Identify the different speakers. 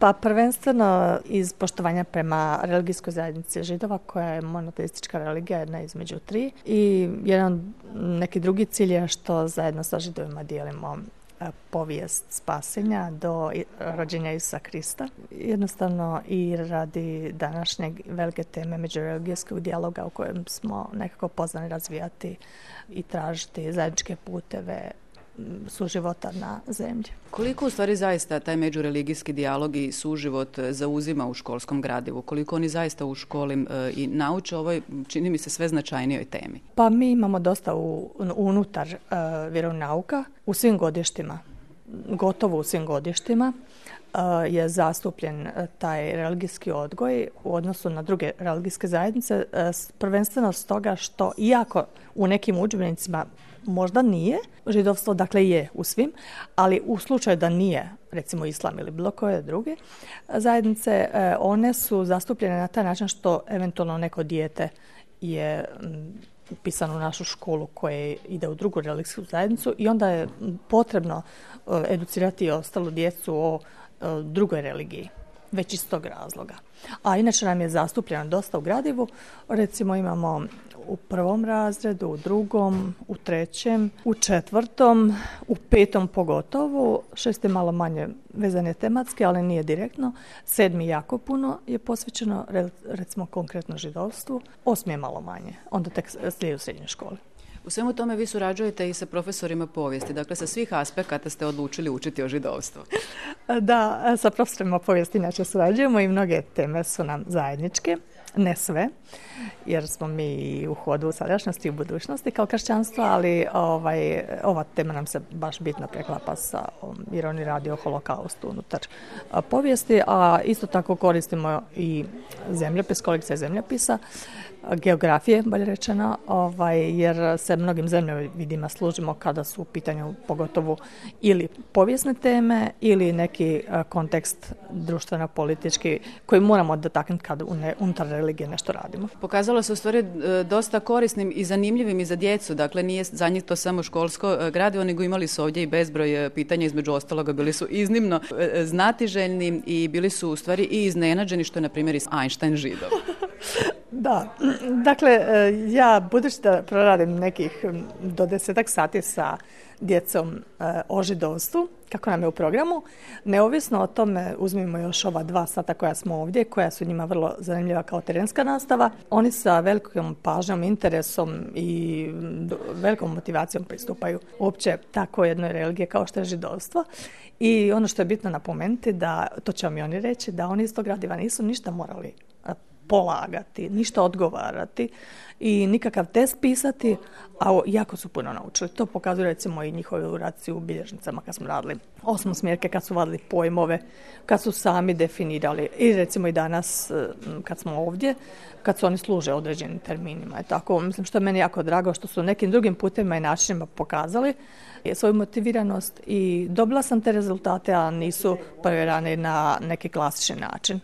Speaker 1: Pa prvenstveno iz poštovanja prema religijskoj zajednici Židova, koja je monoteistička religija, jedna između tri. I neki drugi cilj je što zajedno sa Židovima dijelimo povijest spasenja do rođenja Isusa Krista. Jednostavno i radi današnje velike teme međureligijskog dijaloga u kojem smo nekako pozvani razvijati i tražiti zajedničke puteve suživota na zemlji.
Speaker 2: Koliko u stvari zaista taj međureligijski dijalog i suživot zauzima u školskom gradivu? Koliko oni zaista u školi i nauče ovoj, čini mi se, sve značajnijoj temi?
Speaker 1: Pa mi imamo dosta unutar vjeronauka u svim godištima, gotovo u svim godištima je zastupljen taj religijski odgoj u odnosu na druge religijske zajednice, prvenstveno stoga što iako u nekim udžbenicima možda nije židovstvo, dakle je u svim, ali u slučaju da nije, recimo islam ili bilo koje druge zajednice, one su zastupljene na taj način što eventualno neko dijete je upisano u našu školu koje ide u drugu religijsku zajednicu i onda je potrebno educirati ostalu djecu o drugoj religiji, već iz tog razloga. A inače nam je zastupljeno dosta u gradivu, recimo imamo u 1. razredu, u 2., u 3., u 4., u 5. pogotovo, 6. malo manje vezane tematske, ali nije direktno, 7. jako puno je posvećeno recimo konkretno židovstvu, 8. je malo manje, onda tek slijedi u srednjoj školi.
Speaker 2: U svemu tome vi surađujete i sa profesorima povijesti, dakle sa svih aspekata ste odlučili učiti o židovstvu.
Speaker 1: Da, sa profesorima povijesti inače surađujemo i mnoge teme su nam zajedničke, ne sve, jer smo mi u hodu u sadašnjosti i u budućnosti kao kršćanstvo, ali ova tema nam se baš bitno preklapa sa, jer oni radi o holokaustu unutar povijesti, a isto tako koristimo i zemljopis, kolekcija zemljopisa, geografije, bolje rečeno, jer se mnogim zemljovidima služimo kada su u pitanju pogotovo ili povijesne teme ili neki kontekst društveno-politički koji moramo dotaknuti kad unutar religije nešto radimo.
Speaker 2: Pokazalo se u stvari dosta korisnim i zanimljivim i za djecu, dakle nije za njih to samo školsko gradivo, nego imali su ovdje i bezbroj pitanja, između ostaloga bili su iznimno znatiželjni i bili su u stvari i iznenađeni što je na primjer i Einstein Židov.
Speaker 1: Da, dakle, ja budući da proradim nekih do 10 sati sa djecom o židovstvu, kako nam je u programu, neovisno o tome uzmimo još ova 2 sata koja smo ovdje, koja su njima vrlo zanimljiva kao terenska nastava. Oni sa velikom pažnjom, interesom i velikom motivacijom pristupaju uopće tako jednoj religije kao što je židovstvo. I ono što je bitno napomenuti, da, to će vam i oni reći, da oni iz tog gradiva nisu ništa morali polagati, ništa odgovarati i nikakav test pisati, a jako su puno naučili. To pokazuje recimo i njihove uraci u bilježnicama kad smo radili 8. smjerke, kad su vadili pojmove, kad su sami definirali i recimo i danas kad smo ovdje, kad su oni služe određenim terminima. I tako, mislim što je meni jako drago što su nekim drugim putima i načinima pokazali svoju motiviranost i dobila sam te rezultate, a nisu provjerani na neki klasični način.